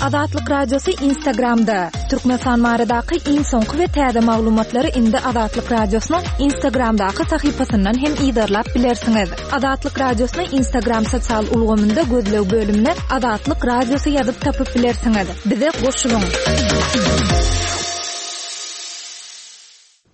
Azatlyk Radiosy Instagramda! Türkmenistan baradaky iň soňky we täze maglumatlary indi Azatlyk Radiosynyň Instagramdaky sahypasyndan hem yzarlap bilersiňiz. Azatlyk Radiosyny Instagram sosial ulgamynda gözleg bölümine Azatlyk Radiosy ýazyp tapyp bilersiňiz. Bize goşulyň!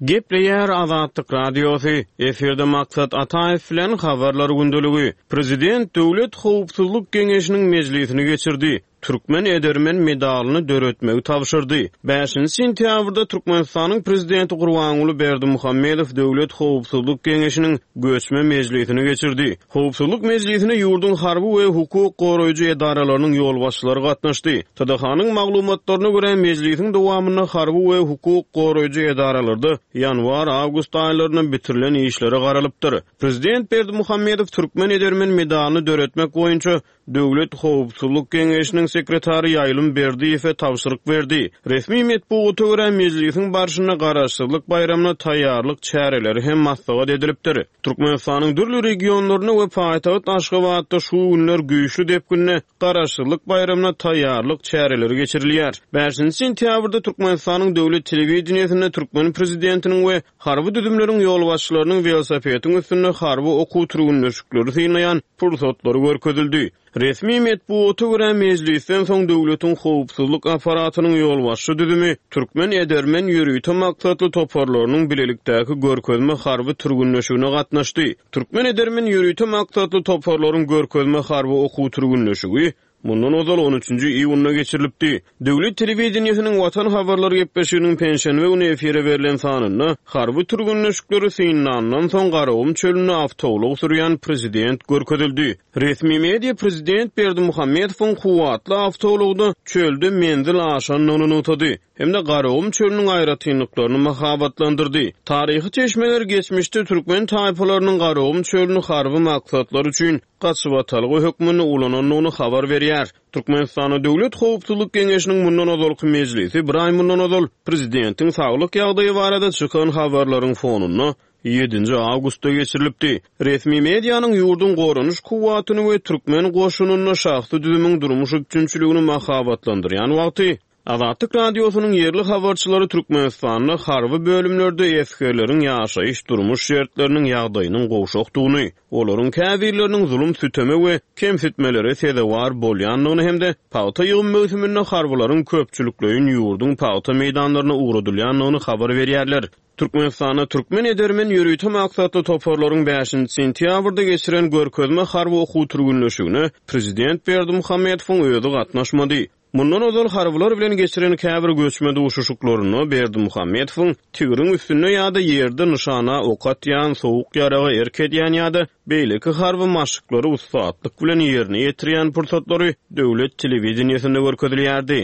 Gepleýär Azatlyk Radiosy, efirde Maksat Ataýew bilen Habarlar gündeligi. Prezident Döwlet howpsuzlyk geňeşiniň mejlisini geçirdi. Türkmen edermen medalyny döretmegi tabşyrdy. Bäşinji sentýabrda Türkmenistanyň Prezidenti Gurbanguly Berdimuhamedow Döwlet howpsuzlyk geňeşiniň göçme mejlisini geçirdi. Howpsuzlyk mejlisine ýurduň harby we hukuk goraýjy edaralarynyň ýolbaşçylary gatnaşdy. TDH-nyň maglumatlaryna görä, mejlisiň dowamynda harby we hukuk goraýjy edaralarda ýanwar-awgust aýlarynda bitirilen işlere garalypdyr. Prezident Berdimuhamedow Türkmen edermen medalyny döretmek boýunça Döwlet howpsuzlyk geňeşiniň sekretary Ýaýlym Berdiýewe tabşyryk berdi. Resmi metbugata görä, mejlisiň barşynda Garaşsyzlyk baýramyna taýýarlyk çäreleri hem maslahat edilipdir. Türkmenistanyň dürli regionlarynda we paýtagt Aşgabatda şu günler güýçli depginde Garaşsyzlyk baýramyna taýýarlyk çäreleri geçirilýär. Bäşinji sentýabrda Türkmenistanyň döwlet telewideniýesinde türkmen prezidentiniň we Harby düzümleriň ýolbaşçylarynyň welosipediň üstünde harby okuw-türgünleşikleri synlaýan pursatlary görkezildi. Resmi metbugata görä, mejlisden soň döwletiň howpsuzlyk apparatynyň ýolbaşçy düzümi Türkmen edermen ýörite maksatly toparlarynyň bilelikdäki görkezme harby türgünleşigine gatnaşdy. Türkmen edermen ýörite maksatly toparlaryň görkezme harby okuw-türgünleşigi Mundan ozal on üçünji iýunda geçirilipdi. Döwlet telewideniýesiniň Watan habarlary gepleşiginiň penşenbe güni efire berlen sanynda harby türgenleşikleri synlandan soň Garagum çölünde awtoulag sürýän prezident görkezildi. Resmi media prezident Berdimuhamedowyň kuwwatly awtoulagda çölde menzil aşandygyny nygtady hem-de Garagum çölüniň aýratynlyklaryny mahabatlandyrdy. Taryhy çeşmeler geçmişde türkmen taýpalarynyň Garagum çölüni harby maksatlar üçin gaçybatalga hökmünde ulanandygyny habar berýär. Türkmenistanda Döwlet howpsuzlyk geňeşiniň mundan ozalky mejlisi bir aý mundan ozal prezidentiň saglyk ýagdaýy barada çykan habarlaryň fonunda ýedinji awgustda geçirilipdi. Resmi medianyň ýurduň goranyş kuwwatyny we türkmen goşunynda şahsy düzümiň durmuş üpjünçiligini mahabatlandyrýan wagty, Azatlyk Radiosynyň ýerli habarçylary Türkmenistanda harby bölümlerde esgerleriň ýaşaýyş-durmuş şertleriniň ýagdaýynyň gowşakdygyny, olaryň käbirleriniň zulum-süteme we kemsitmelere sezewar bolýandygyny hem-de pagta ýygym möwsüminde harbylaryň köpçülikleýin ýurduň pagta meýdanlaryna ugradylýandygyny habar berýärler. Türkmenistanda Türkmen edermen ýörite maksatly toparlaryň bäşinji sentýabrda geçiren görkezme harby okuw-türgünleşigine prezident Berdimuhamedowyň özi gatnaşmady. Mundan ozal harbylar bilen geçiren käbir göçme duşuşyklarynda Berdimuhamedowyň tigriň üstünde ýa-da ýerde nyşana ok atýan, sowuk ýaraga erk edýän ýa-da beýleki harby maşyklary ussatlyk bilen ýerine ýetirýän pursatlary döwlet telewideniýesinde görkezilýärdi.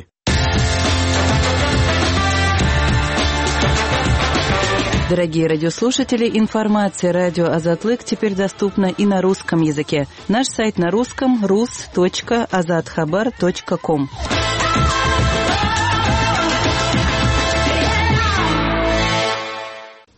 Дорогие радиослушатели, информация радио Азатлык теперь доступна и на русском языке. Наш сайт на русском rus.azathabar.com.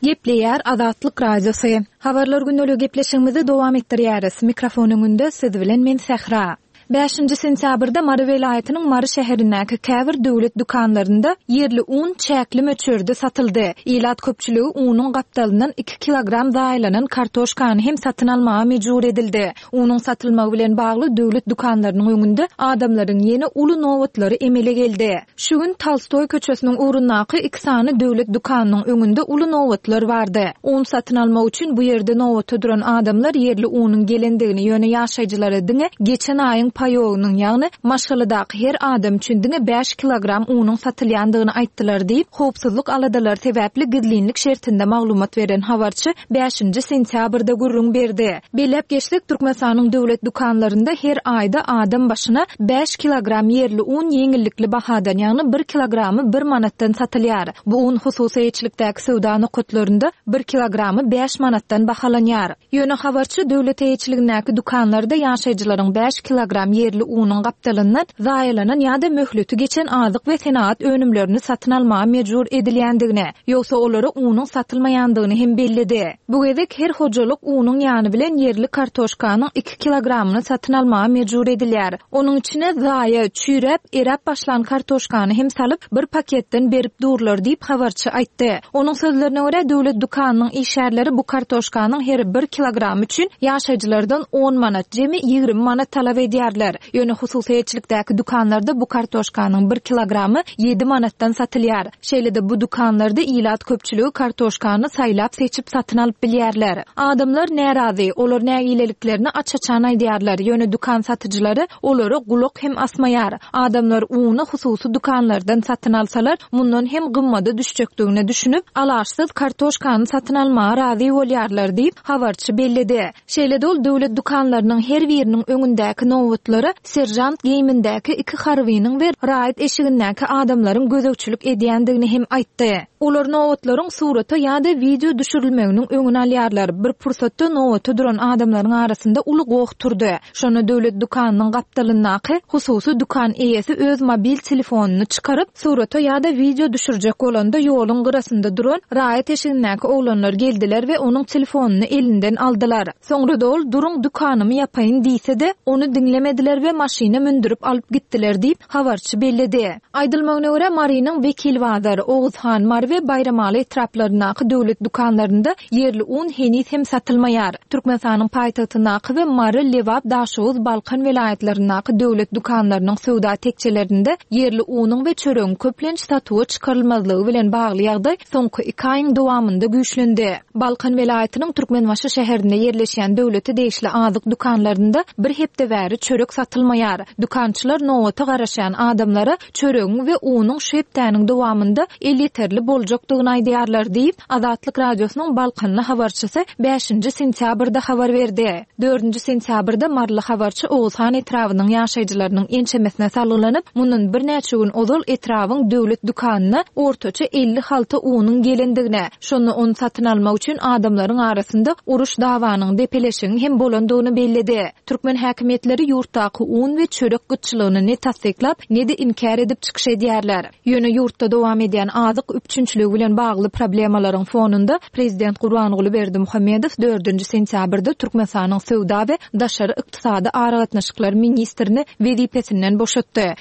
Gepleýär Azatlyk Radiosy. Habarlar gündeligi gepleşigimizi dowam etdirýäris. Mikrofon öňünde siz bilen men Sähra. Bäşinji sentýabrda Mary welaýatynyň Mary şäherindäki käbir döwlet dükanlarynda ýerli un çäkli möçberde satyldy. Ilat köpçüligi unuň gapdalyndan iki kilogram zaýalanan kartoşkany hem satyn almaga mejbur edildi. Unuň satylmagy bilen bagly döwlet dükanlarynyň öňünde adamlaryň ýene uly nobatlary emele geldi. Şu gün Tolstoý köçesiniň ugrundaky iki sany döwlet dükanynyň öňünde uly nobatlar bardy. Un satyn almak üçin bu ýerde nobata duran adamlar ýerli unuň gelendigini, ýöne ýaşaýjylara diňe geçen aýyň paýogynyň, ýagny maşgaladaky her adam üçin diňe bäş kilogram unuň satylýandygyny aýtdylar diýip, howpsuzlyk aladalary sebäpli gizlinlik şertinde maglumat beren habarçy bäşinji sentýabrda gürrüň berdi. Belläp geçsek, Türkmenistanyň döwlet dükanlarynda her aýda adam başyna bäş kilogram ýerli un ýeňillikli bahadan, ýagny bir kilogramy bir manatdan satylýar. Bu un hususy eýeçilikdäki söwda nokatlarynda bir kilogramy bäş manatdan bahalanýar. Ýöne habarçy döwlet eýeçiligindäki dükanlarda ýaşaýjylaryň bäş kilogram. kilogram ýerli unuň gapdalyndan zaýalanan ýa-da möhleti geçen azyk we senagat önümlerini satyn almaga mejbur edilýändigini, ýogsa olara unuň satylmaýandygyny hem belledi. Bu gezek her hojalyk unuň ýany bilen ýerli kartoşkanyň iki kilogramyny satyn almaga mejbur edilýär. Onuň içine zaýa, çüýräp, eräp başlan kartoşkany hem salyp, bir paketden berip durlar diýip, habarçy aýtdy. Onuň sözlerine görä, döwlet dükanynyň işgärleri bu kartoşkanyň her bir kilogramy üçin ýaşaýjylardan on manat, jemi 20 manat talap edýärler. Ýöne hususy eýeçilikdäki dükanlarda bu kartoşkanyň bir kilogramy ýedi manatdan satylýar. Şeýle-de bu dükanlarda ilat köpçüligi kartoşkany saýlap-seçip satyn alyp bilýärler. Adamlar närazy, olar nägileliklerini aç-açan aýdýarlar, ýöne dükan satyjylary olara gulak hem asmaýar. Adamlar uny hususy dükanlardan satyn alsalar, mundan hem gymmada düşjekdigine düşünip, alaçsyz kartoşkany satyn almaga razy bolýarlar diýip, habarçy belledi. Şeýle-de ol döwlet dükanlarynyň her biriniň öňündäki nobatlara seržant geýimindäki iki harbynyň we raýat eşigindäki adamlaryň gözegçilik edýändigini hem aýtdy. Olar nobatlaryň surata ýa-da wideo düşürilmeginiň öňüni alýarlar. Bir pursatda nobata duran adamlaryň arasynda uly goh turdy. Şonda döwlet dükanynyň gapdalyndaky hususy dükan eýesi öz mobil telefonyny çykaryp, surata ýa-da wideo düşürjek bolanda ýoluň gyrasynda duran raýat eşigindäki oglanlar geldiler we onuň telefonyny elinden aldylar. Soňra-da ol duruň dükanymy ýapaýyn diýse-de, ony diňlemediler we maşyna mündürip alyp gitdiler diýip, habarçy belledi. Aýdylmagyna görä, Marynyň Wekilbazar, Oguzhan, Mary we Baýramaly etraplaryndaky döwlet dükanlarynda ýerli un heniz hem satylmaýar. Türkmenistanyň paýtagtyndaky we Mary, Lebap, Daşoguz, Balkan welaýatlaryndaky döwlet dükanlarynyň söwda tekjelerinde ýerli unuň we çöregiň köplenç satuwa çykarylmazlygy bilen bagly ýagdaý soňky iki aýyň dowamynda güýçlendi. Balkan welaýatynyň Türkmenbaşy şäherinde ýerleşýän döwlete degişli azyk dükanlarynda bir hepde bäri çörek satylmaýar. Dükançylar nobata garaşýan adamlara çöregiň we unuň şu hepdäniň dowamynda elýeterli boljakdygyny aýdýarlar diýip, Azatlyk Radiosynyň balkanly habarçysy bäşinji sentýabrda habar berdi. Dördünji sentýabrda maryly habarçy Oguzhan etrabynyň ýaşaýjylarynyň ençemesine salgylanyp, mundan birnäçe gün ozal etrabyň döwlet dükanyna ortaça 50 halta unuň gelendigini, şonda ony satyn almak üçin adamlaryň arasynda uruş-dawanyň, depeleşigiň hem bolandygyny belledi. Türkmen häkimiýetleri ýurtdaky un we çörek gytçylygyny ne tassyklap, ne-de inkär edip çykyş edýärler. Ýöne ýurtda dowam edýän azyk üpjünçiligi bilen bagly problemalaryň fonunda, prezident Gurbanguly Berdimuhamedow dördünji sentýabrda Türkmenistanyň söwda we daşary ykdysady aragatnaşyklar ministrini wezipesinden boşatdy.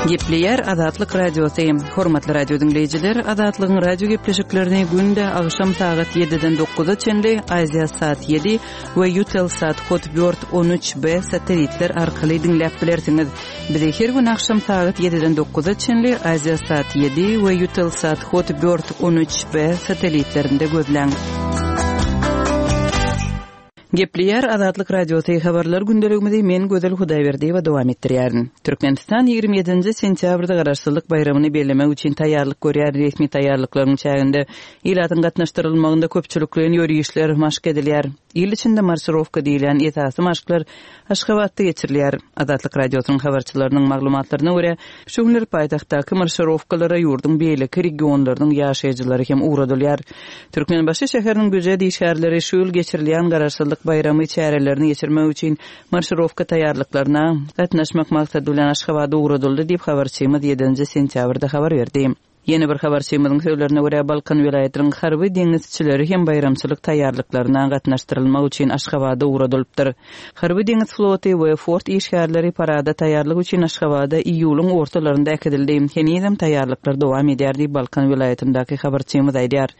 Gepleýär Azatlyk Radiosy. Hormatly radio diňleýjiler, Azatlygyň radio gepleşiklerini günde agşam sagat 7-den 9-a çenli Aziýa sat 7 we Eutelsat Hotbird 13B satelitler arkaly diňläp bilersiňiz. Bizi her gün agşam sagat 7-den 9-a çenli Aziýa sat 7 we Eutelsat Hotbird 13B satelitlerinde gözläň. Gepleýär Azatlyk Radiosy Habarlar gündeligimizi men Gözel Hudaýberdiýewa dowam etdirýärin. Türkmenistan 27-nji sentýabrda Garaşsyzlyk baýramyny bellemek üçin taýýarlyk görýär. Resmi taýýarlyklaryň çäginde ilatyň gatnaşdyrylmagynda köpçülikleýin ýörişler maşk edilýär. Il içinde marşirowka diýilýän esasy maşklar Aşgabatda geçirilýär. Azatlyk Radiosynyň habarçylarynyň maglumatlaryna görä, şu günler paýtagtdaky marşirowkalara ýurduň beýleki regionlarynyň ýaşaýjylary hem ugradylýar. Türkmenbaşy şäheriniň býujet işgärleri şu ýyl geçirilýän Garaşsyzlyk baýramy çärelerini geçirmek üçin marşirowka taýýarlyklaryna gatnaşmak maksady bilen Aşgabada ugradyldy diýip, habarçymyz ýedinji sentýabrda habar berdi. Ýene bir habarçymyzyň sözlerine görä, Balkan welaýatynyň harby deňizçileri hem baýramçylyk taýýarlyklaryna gatnaşdyrylmak üçin Aşgabada ugradylypdyr. Harby deňiz floty we fort işgärleri parada taýýarlyk üçin Aşgabada iýulyň ortalarynda äkidildi. Henizem taýýarlyklar dowam edýär diýip, Balkan welaýatyndaky habarçymyz aýdýar.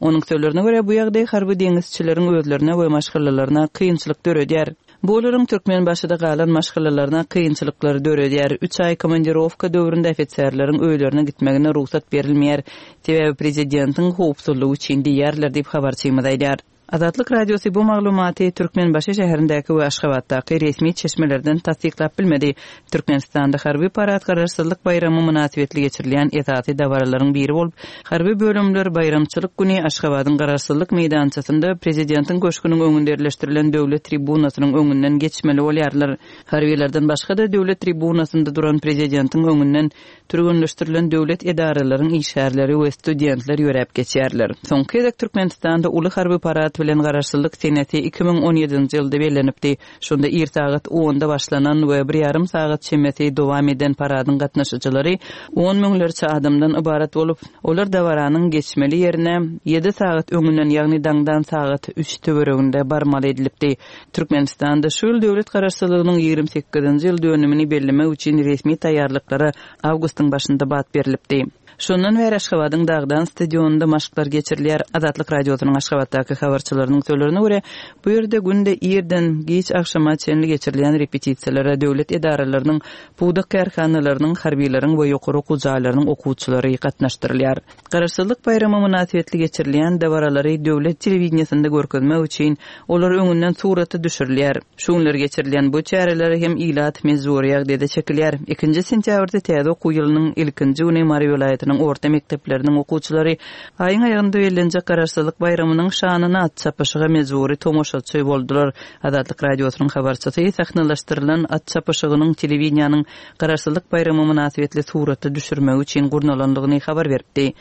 Onuň sözlerine görä, bu ýagdaý harby deňizçileriň özlerine we maşgalalaryna kynçylyk döredýär. Bu olaryň Türkmenbaşyda galan maşgalalaryna kynçylyklary döredýär. Üç aý komandirowka döwründe ofiserleriň öýlerine gitmegine rugsat berilmeýär. Sebäbi prezidentiň howpsuzlygy üçin diýýärler diýip, habarçymyz aýdýar. Azatlyk Radiosy bu maglumaty Türkmenbaşy şäherindäki we Aşgabatdaky resmi çeşmelerden tassyklap bilmedi. Türkmenistanda harby parad Garaşsyzlyk baýramy mynasybetli geçirilýän esasy dabaralaryň biri bolup, harby bölümler baýramçylyk güni Aşgabadyň Garaşsyzlyk meýdançasynda Prezidentiň köşgüniň öňünde ýerleşdirilen döwlet tribunasynyň öňünden geçmeli bolýarlar. Harbylardan başga-da döwlet tribunasynda duran Prezidentiň öňünden türgenleşdirilen döwlet edaralaryň işgärleri we studentler ýöräp geçýärler. Soňky gezek Türkmenistanda uly harby parad. maksat bilen Garaşsyzlyk senesi 2017-nji ýylda bellenipdi. Şonda ir sagat onda başlanan we bir ýarym sagat çemesi dowam eden paradyň gatnaşyjylary on müňlerçe adamdan ybarat bolup, olar dabaranyň geçmeli ýerine ýedi sagat öňünden, ýagny daňdan sagat üç töwereginde barmaly edilipdi. Türkmenistanda şu ýyl döwlet Garaşsyzlygynyň 28-nji ýyl dönümini bellemek üçin resmi taýýarlyklara awgustyň başynda bat berlipdi. Şondan bäri Aşgabadyň Dagdan stadionynda maşklar geçirilýär. Azatlyk Radiosynyň Aşgabatdaky habarçylarynyň sözlerine görä, bu ýerde günde irden giç agşama çenli geçirilýän repetisiýalara döwlet edaralarynyň, pudak kärhanalarynyň, harbylaryň we ýokary okuw jaýlarynyň okuwçylary gatnaşdyrylýar. Garaşsyzlyk baýramy mynasybetli geçirilýän dabaralary döwlet telewideniýesinde görkezmek üçin olar öňünden surata düşürilýär. Şu günler geçirilýän bu çärelere hem ilat mejbury ýagdaýda çekilýär. Ikinji sentýabrda täze okuw ýylynyň ilkinji güni Mary welaýatynyň orta mekdepleriniň okuwçylary aýyň aýagynda bellenjek Garaşsyzlyk baýramynyň şanyna at çapyşyga mejbury tomaşaçy boldular. Azatlyk Radiosynyň habarçysy sahnalaşdyrylan at çapyşygynyň telewideniýäniň Garaşsyzlyk baýramy mynasybetli surata düşürmegi üçin gurnalandygyny habar beripdi.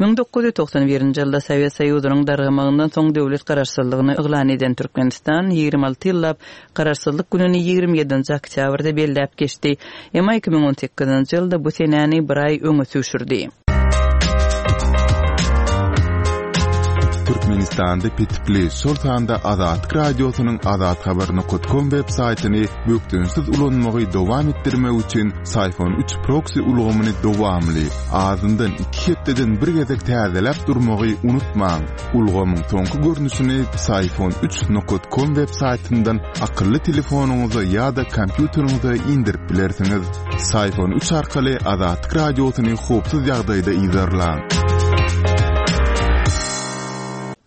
1991-nji ýylda Sowet Soýuzynyň dargamagyndan soň döwlet Garaşsyzlygyny yglan eden Türkmenistan 26 ýyllap Garaşsyzlyk gününi 27-nji oktýabrda belläp geçdi. Emma 2018-nji ýylda bu senäni bir aý öňe süýşürdi. Türkmenistanda petikli, şol sanda Azatlyk Radiosynyň azathabar.com web saýtyny bökdençsiz ulanmagy dowam etdirmek üçin Syphon 3 proksi ulgamyny dowamly, azyndan iki hepdeden bir gezek täzeläp durmagy unutmaň. Ulgamyň soňky görnüşini Syphon 3 nokat com web saýtyndan akylly telefonyňyza ýa-da kompýuteriňize indirip bilersiňiz. Syphon 3 arkaly Azatlyk Radiosyny howpsuz ýagdaýda yzarlaň.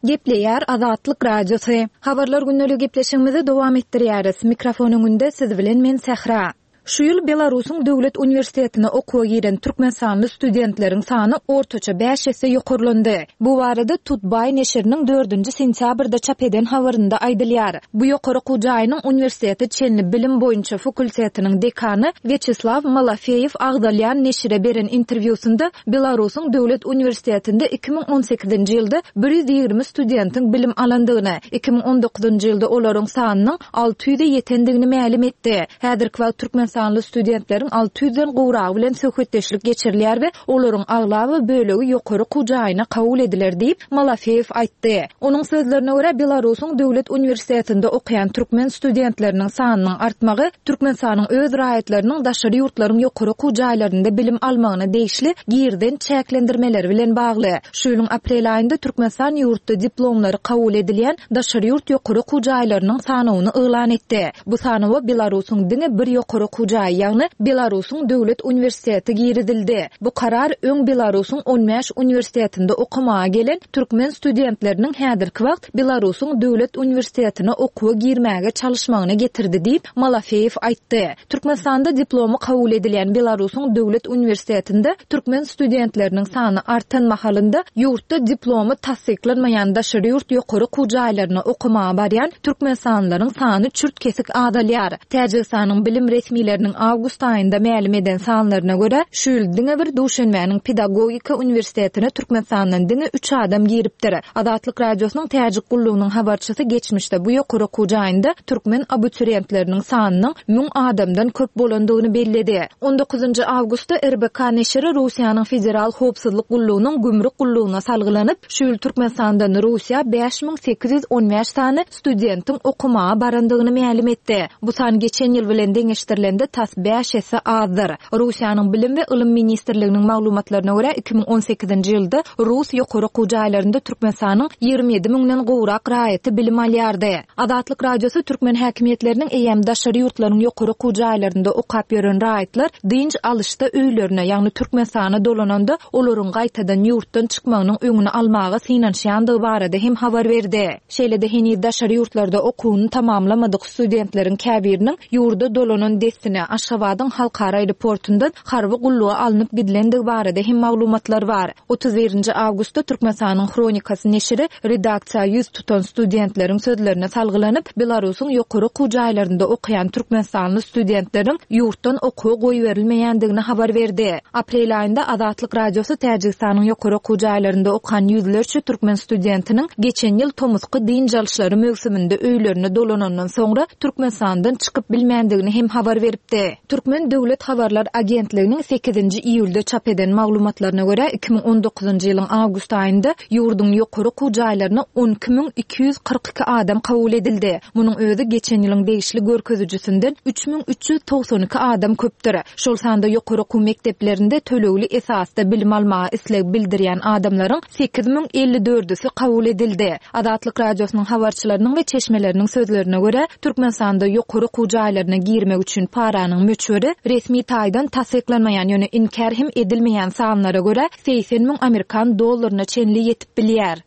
Gepleýär Azatlyk Radiosy. Habarlar gündeligi gepleşigimizi dowam etdirýäris. Mikrofon öňünde siz bilen men Sähra. Şu ýyl Belarusyň döwlet uniwersitetine okuwa giren türkmenistanly studentleriň sany ortaça bäş esse ýokarlandy. Bu barada Tutbay neşiriniň dördünji sentýabrda çap eden habarynda aýdylýar. Bu ýokary okuw jaýynyň uniwersitete çenli bilim boýunça fakultetiniň dekany Wýaçeslaw Malafeýew agzalýan neşire beren interwýusynda Belarusyň döwlet uniwersitetinde 2018-nji ýylda 120 studentiň bilim alandygyny, 2019-njy ýylda olaryň sanynyň 600-e ýetendigini mälim etdi. Häzirki wagt türkmenistanly studentleriň 600-den gowragy bilen söhbetdeşlik geçirilýär we olaryň aglaba bölegi ýokary okuw jaýyna kabul ediler diýip, Malafeýew aýtdy. Onuň sözlerine görä, Belarusyň döwlet uniwersitetinde okaýan türkmen studentleriniň sanynyň artmagy Türkmenistanyň öz raýatlarynyň daşary ýurtlaryň ýokary okuw jaýlarynda bilim almagyna degişli girizen çäklendirmeleri bilen bagly. Şu ýylyň aprel aýynda Türkmenistan ýurtda diplomlary kabul edilýän daşary ýurt ýokary okuw jaýlarynyň sanawyny yglan etdi. Bu sanawa Belarusyň diňe bir ýokary okuw jaýy, ýagny Belarusyň döwlet uniwersiteti girizildi. Bu karar öň Belarusyň on bäş uniwersitetinde okamaga gelen türkmen studentleriniň häzirki wagt Belarusyň döwlet uniwersitetine okuwa girmäge çalyşmagyna getirdi diýip, Malafeýew aýtdy. Türkmenistanda diplomy kabul edilýän Belarusyň döwlet uniwersitetinde türkmen studentleriniň sany artan mahalynda, ýurtda diplomy tassyklanmaýan daşary ýurt ýokary okuw jaýlaryna okamaga barýan türkmenistanlylaryň sany çürt-kesik azalýar. Täjigistanyň bilim resmileriniň awgust aýynda mälim eden sanlaryna görä, şu ýyl diňe bir Duşenbäniň pedagogika uniwersitetine Türkmenistandan diňe üç adam giripdir. Azatlyk Radiosynyň Täjik gullugynyň habarçysy geçmişde bu ýokary okuw jaýynda türkmen abiturientleriniň sanynyň müň adamdan köp bolandygyny belledi. On dokuzynjy awgustda RBK neşiri Russiýanyň Federal howpsuzlyk gullugynyň gümrük gullugyna salgylanyp, şu ýyl Türkmenistandan Russiýa 5815 sany studentiň okamaga barandygyny mälim etdi. Bu san geçen ýyl bilen deňeşdirilende tas bäş esse azdyr. Russiýanyň Bilim we ylym ministrliginiň maglumatlaryna görä, 2018-nji ýylda rus ýokary okuw jaýlarynda Türkmenistanyň 27 müňden gowrak raýaty bilim alýardy. Azatlyk Radiosy türkmen häkimiýetleriniň eýýäm daşary ýurtlaryň ýokary okuw jaýlarynda okap ýören raýatlar dynç alyşda öýlerine, ýagny Türkmenistana dolananda olaryň gaýtadan ýurtdan çykmagynyň öňüni almaga synanyşýandygy barada hem habar berdi. Şeýle-de heniz daşary ýurtlarda okuwyny tamamlamadyk studentleriň käbiriniň ýurda dolanan dessine. dessine Aşgabadyň halkara aeroportundan harby gulluga alnyp gidilendigi barada hem maglumatlar bar. 31-nji awgustda Türkmenistanyň Hronikasy neşiri redaksiýa ýüz tutan studentleriň sözlerine salgylanyp, Belarusyň ýokary okuw jaýlarynda okaýan türkmenistanly studentleriň ýurtdan okuwa goýberilmeýändigini habar berdi. Aprel aýynda Azatlyk Radiosy Täjigistanyň ýokary okuw jaýlarynda okan ýüzlerçe türkmen studentiniň geçen ýyl tomusky dynç alyşlary möwsüminde öýlerine dolanandan soňra Türkmenistandan çykyp bilmändigini hem habar beripdi. Türkmen döwlet habarlar agentliginiň sekizinji iýulda çap eden maglumatlaryna görä, 2019-njy ýylyň awgust aýynda ýurduň ýokary okuw jaýlaryna 12 242 adam kabul edildi. Munuň özi geçen ýylyň degişli görkezijisinden 3392 adam köpdür. Şol sanda ýokary okuw mekdeplerinde tölegli esasda bilim almaga isleg bildirýän adamlaryň 8054-üsi kabul edildi. Azatlyk Radiosynyň habarçylarynyň we çeşmeleriniň sözlerine görä, Türkmenistanda ýokary okuw jaýlaryna girmek üçin paranyň möçberi resmi taýdan tassyklanmaýan, ýöne inkär hem edilmeýän sanlara görä, 80 müň amerikan dollaryna çenli ýetip bilýär.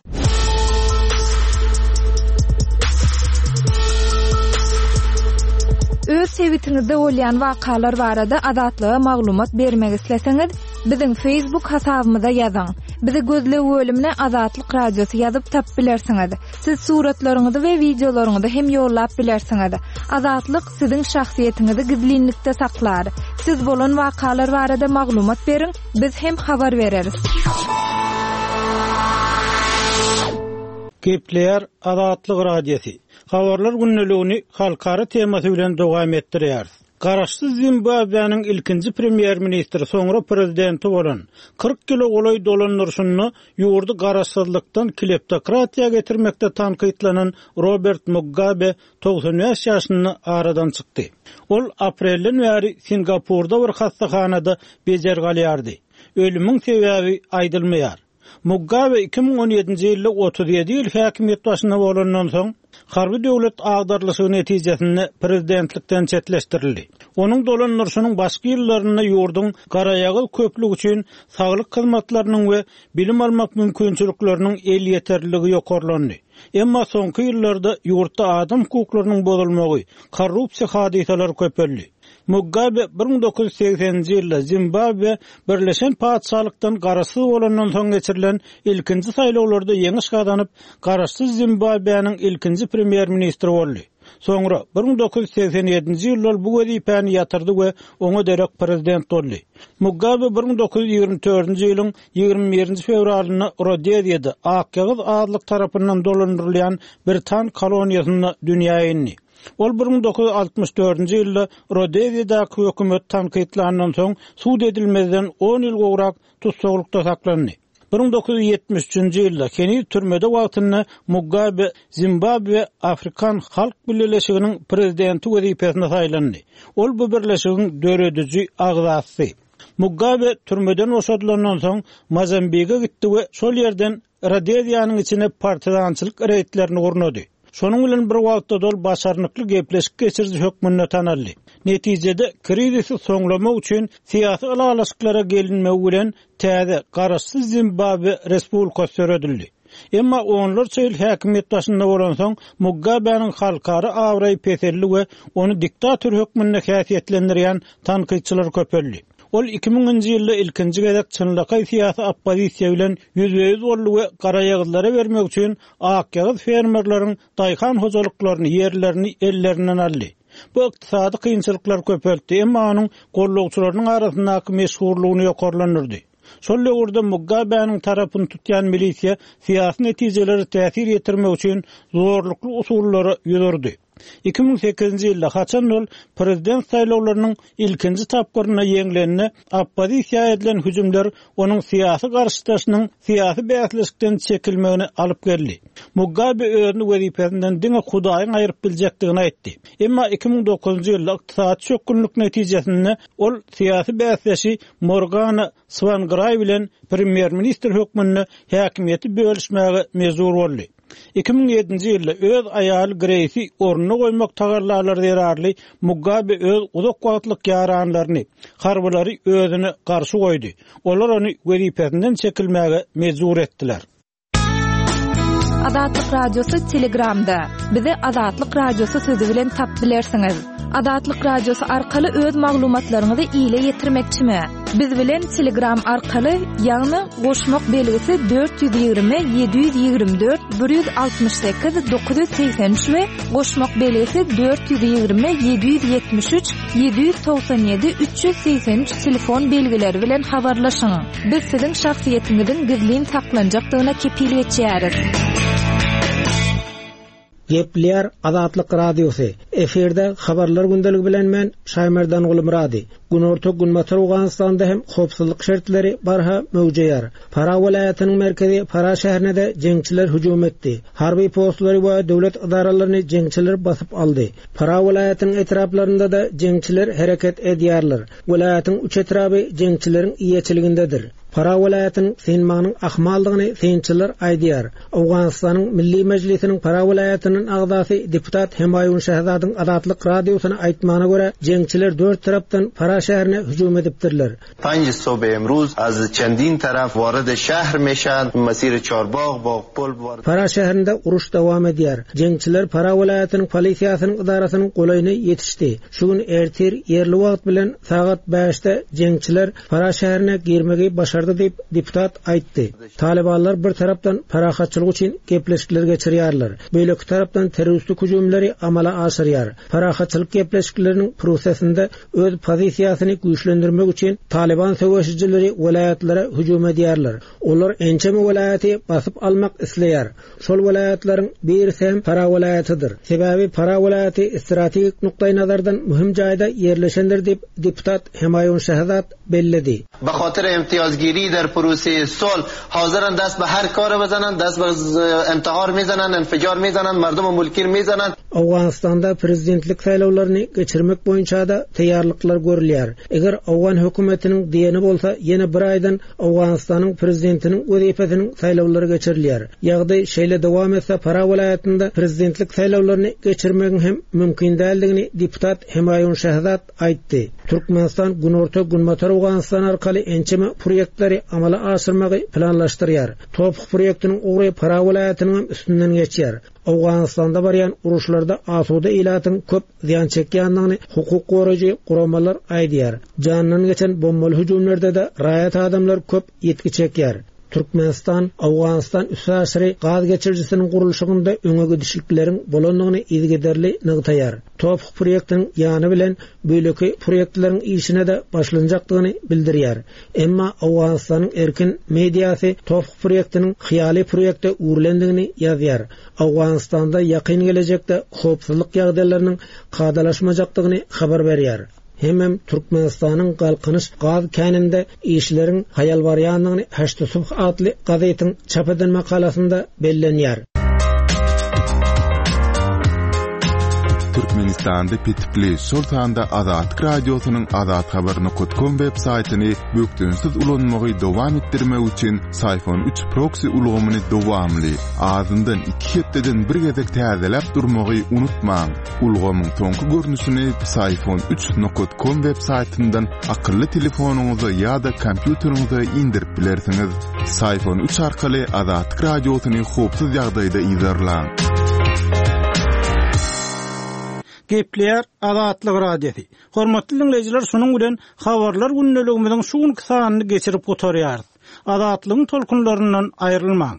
Öz sebitiňizde bolýan wakalar barada Azatlyga maglumat bermek isleseňiz, biziň Facebook hasabymyza ýazyň. Bizi gözleg bölümine Azatlyk Radiosy ýazyp tapyp bilersiňiz. Siz suratlaryňyzy we wideolaryňyzy hem ýollap bilersiňiz. Azatlyk siziň şahsyýetiňizi gizlinlikde saklar. Siz bolan wakalar barada maglumat beriň, biz hem habar bereris. Gepleýär Azatlyk Radiosy. Habarlar gündeligini halkara temasy bilen dowam etdirýäris. Garaşsyz Zimbabwäniň ilkinji premýer-ministri, soňra prezidenti bolan, 40 ýyla golaý dolandyryşynda ýurdy garaşsyzlykdan kleptokratiýa getirmekde tankytlanan Robert Mugabe 95 ýaşynda aradan çykdy. Ol aprelden bäri Singapurda bir hassahanada bejergi alýardy. Ölümiň sebäbi aýdylmaýar. Mugabe 2017-nji ýylda 37 ýyl häkimiýet başynda bolandan soň, harby döwlet agdarylyşygy netijesinde prezidentlikden çetleşdirildi. Onuň dolandyryşynyň başky ýyllarynda ýurduň garaýagyz köplügi üçin saglyk hyzmatlarynyň we bilim almak mümkinçilikleriniň elýeterliligi ýokarlandy. Emma soňky ýyllarda ýurtda adam hukuklarynyň bozulmagy, korrupsiýa hadysalary köpeldi. Mugabe 1980-nji ýylda Zimbabwe Birleşen Patyşalykdan garaşsyz bolandan soň geçirilen ilkinji saýlawlarda ýeňiş gazanyp, garaşsyz Zimbabweniň ilkinji premýer-ministri boldy. Soňra, 1987-nji ýylda ol bu wezipäni ýatyrdy we oňa derek prezident boldy. Mugabe 1924-nji ýylyň 21-nji fewralynda Rodeziýada, akýagyz azlyk tarapyndan dolandyrylýan britan koloniýasynda dünýä indi. Ol 1964-nji ýylda Rodeziýadaky hökümeti tankytlandan soň, sud edilmezden on ýyl gowrak tussaglykda saklandy. 1973-nji ýylda heniz türmede wagtynda Mugabe Zimbabwe Afrikan Halk Bileleşiginiň prezidenti wezipesine saýlandy. Ol bu birleşigiň dörediji agzasy. Mugabe türmeden boşadylandan soň Mozambige gitdi we şol ýerden Rodeziýanyň içine partizançylyk reýdlerini gurnady. Şonuň bilen bir wagtda-da ol başarnykly gepleşik geçiriji hökmünde tanaldy. Netijede, krizisi soňlamak üçin syýasy ylalaşyklara gelinmegi bilen täze, garaşsyz Zimbabwe Respublikasy döredildi. Emma onlarça ýyl häkimiýet başynda bolansoň, Mugabäniň halkara abraýy peseldi we ony diktator hökmünde häsiýetlendirýän tankytçylar köpeldi. Ol 2000-nji ýylda ilkinji gezek çynlakaý syýasy oppozisiýa bilen ýüzbe-ýüz boldy we garaýagyzlara bermek üçin akýagyz fermerleriň daýhan hojalyklaryny, ýerlerini ellerinden aldy. Bu ykdysady kynçylyklary köpeltdi, emma onuň gollagçylarynyň arasyndaky meşhurlygyny ýokarlandyrdy. Şol döwürde Mugabäniň tarapyny tutýan milisiýa syýasy netijelere täsir ýetirmek üçin zorlukly usullara ýüz urdy. 2008-nji ýylda, haçan ol prezident saýlawlarynyň ilkinji tapgyrynda ýeňlende, oppozisiýa edilen hüjümler onuň syýasy garşydaşynyň syýasy bäsleşikden çekilmegine alyp geldi. Mugabe özüni wezipesinden diňe Hudaýyň aýryp biljekdigini aýtdy. Emma 2009-njy ýylda ykdysady çökgünlik netijesinde ol syýasy bäsdeşi Morgana Swangraý bilen premýer-ministr hökmünde häkimiýeti bölüşmäge mejbur boldy. 2007-nji ýylda öz aýaly Greýsi ornuna goýmak tagallalary zerarly Mugabe öz uzak wagtlyk ýaranlaryny, harbylary özüne garşy goýdy. Olar ony wezipesinden çekilmäge mejbur etdiler. Azatlyk Radiosy Telegramda. Bizi Azatlyk Radiosy sözi bilen tapyp bilersiňiz. Azatlyk Radiosy arkaly öz maglumatlaryňyzy ile ýetirmekçimi? Biz bilen Telegram arkaly, ýagny goşmak belgisi 420 724 168 983 we goşmak belgisi 420 773 797 383 telefon belgileri bilen habarlaşyň. Biz siziň şahsyýetiňiziň gizlin saklanjakdygyna kepil geçýäris. Gepleýär Azatlyk Radiosy. Efirde Habarlar gündeligi bilen men, Şaýmerdan Gulmyrady. Günorta-Günbatar Owganystanda hem howpsuzlyk şertleri barha möwjeýär. Farah welaýatynyň merkezi Farah şäherine-de jeňçiler hüjüm etdi. Harby postlary we döwlet edaralaryny jeňçiler basyp aldy. Farah welaýatynyň etraplarynda-da jeňçiler hereket edýärler. Welaýatyň üç etraby jeňçileriň eýeçiligindedir. Farah welaýatynyň synmagynyň ahmaldygyny synçylar aýdýar. Owganystanyň Milli Mejlisiniň Farah welaýatyndan agzasy deputat Hemaýun Şahzadyň Azatlyk Radiosyna aýtmagyna görä, jeňçiler dört tarapdan Farah şäherine hüjüm edipdirler. Panj sobh emruz az çendin taraf warid şehr meşan, mesir Çarbag, Bagpul warid. Farah şäherinde uruş dowam edýär. Jeňçiler Farah welaýatynyň polisiýasynyň edarasynyň golaýyna ýetişdi. Şu gün ertir ýerli wagt bilen sagat bäşde jeňçiler Farah şäherine girmegi başardy diýip, deputat aýtdy. Talybanlar bir tarapdan parahatçylyk üçin gepleşikler geçirýärler, beýleki tarapdan terroristik hüjümleri amala aşyrýar. Parahatçylyk gepleşikleriniň prosesinde öz pozisiýasyny güýçlendirmek üçin Talyban söweşijileri welaýatlara hüjüm edýärler. Olar ençeme welaýaty basyp almak isleýär. Şol welaýatlaryň birisi hem Farah welaýatydyr. Sebäbi Farah welaýaty strategik nukdaýnazardan möhüm jaýda ýerleşendir diýip, deputat Hemaýun Şahzad belledi. Be hatyr imtiýazgiri der proseýe sulh hazirand dest be her kary bizanand, dest be intihar mizanand, infijar mizanand, merdum we mulkir mizanand. Owganystanda prezidentlik saýlawlaryny geçirmek boýunça-da taýýarlyklar görülýär. Eger owgan hökümetiniň diýeni bolsa, ýene bir aýdan Owganystanyň prezidentiniň wezipesiniň saýlawlary geçirilýär. Ýagdaý şeýle dowam etse, Farah welaýatynda prezidentlik saýlawlaryny geçirmegiň hem mümkin däldigini deputat Hemaýun Şahzad aýtdy. Türkmenistan Günorta-Günbatar Owganystan arkaly ençeme proýektleri amala aşyrmagy planlaşdyrýar. TOPH proýektiniň ugry Farah welaýatynyňam üstünden geçýär. Owganystanda barýan uruşlarda asuda ilatyň köp zyýan çekýändigini hukuk goraýjy guramalar aýdýar. Janyndan geçen bombaly hüjümlerde-de raýat adamlar köp ýitgi çekýär. Türkmenistan, Owganystan üstaşyry gaz geçirijisiniň gurluşygynda öňe gidişlikleriň bolandygyny yzygiderli nygtaýar. TOPH proýektiniň ýany bilen beýleki proýektleriň işine-de başlanjakdygyny bildirýär. Emma Owganystanyň erkin mediasy TOPH proýektiniň hyýaly proýekte öwrülendigini ýazýar. Owganystanda ýakyn gelejekde howpsuzlyk ýagdaýlarynyň kadalaşmajakdygyny habar berýär. Hemem Türkmenistanyň Galkynyş gaz käninde işleriň haýal barýandygyny Heşt Subh atly gazetiň çap eden makalasynda bellenýär. Türkmenistanda petikli, şol sanda Azatlyk Radiosynyň azathabar nokat kom web saýtyny bökdençsiz ulanmagy dowam etdirmek üçin Syfon üç proksi ulgamyny dowamly, azyndan iki hepdeden bir gezek täzeläp durmagy unutmaň. Ulgamyň soňky görnüşini Psiphon üç nokat kom web saýtyndan akylly telefonyňyza ýa-da kompýuteriňize indirip bilersiňiz. Psiphon üç arkaly Azatlyk Radiosyny howpsuz ýagdaýda yzarlaň. Gepleýär Azatlyk Radiosy. Hormatly diňleýjiler şunuň bilen Habarlar gündeligimiziň şu günki sanyny geçirip gutarýarys. Azatlygyň tolkunlaryndan aýrylmaň.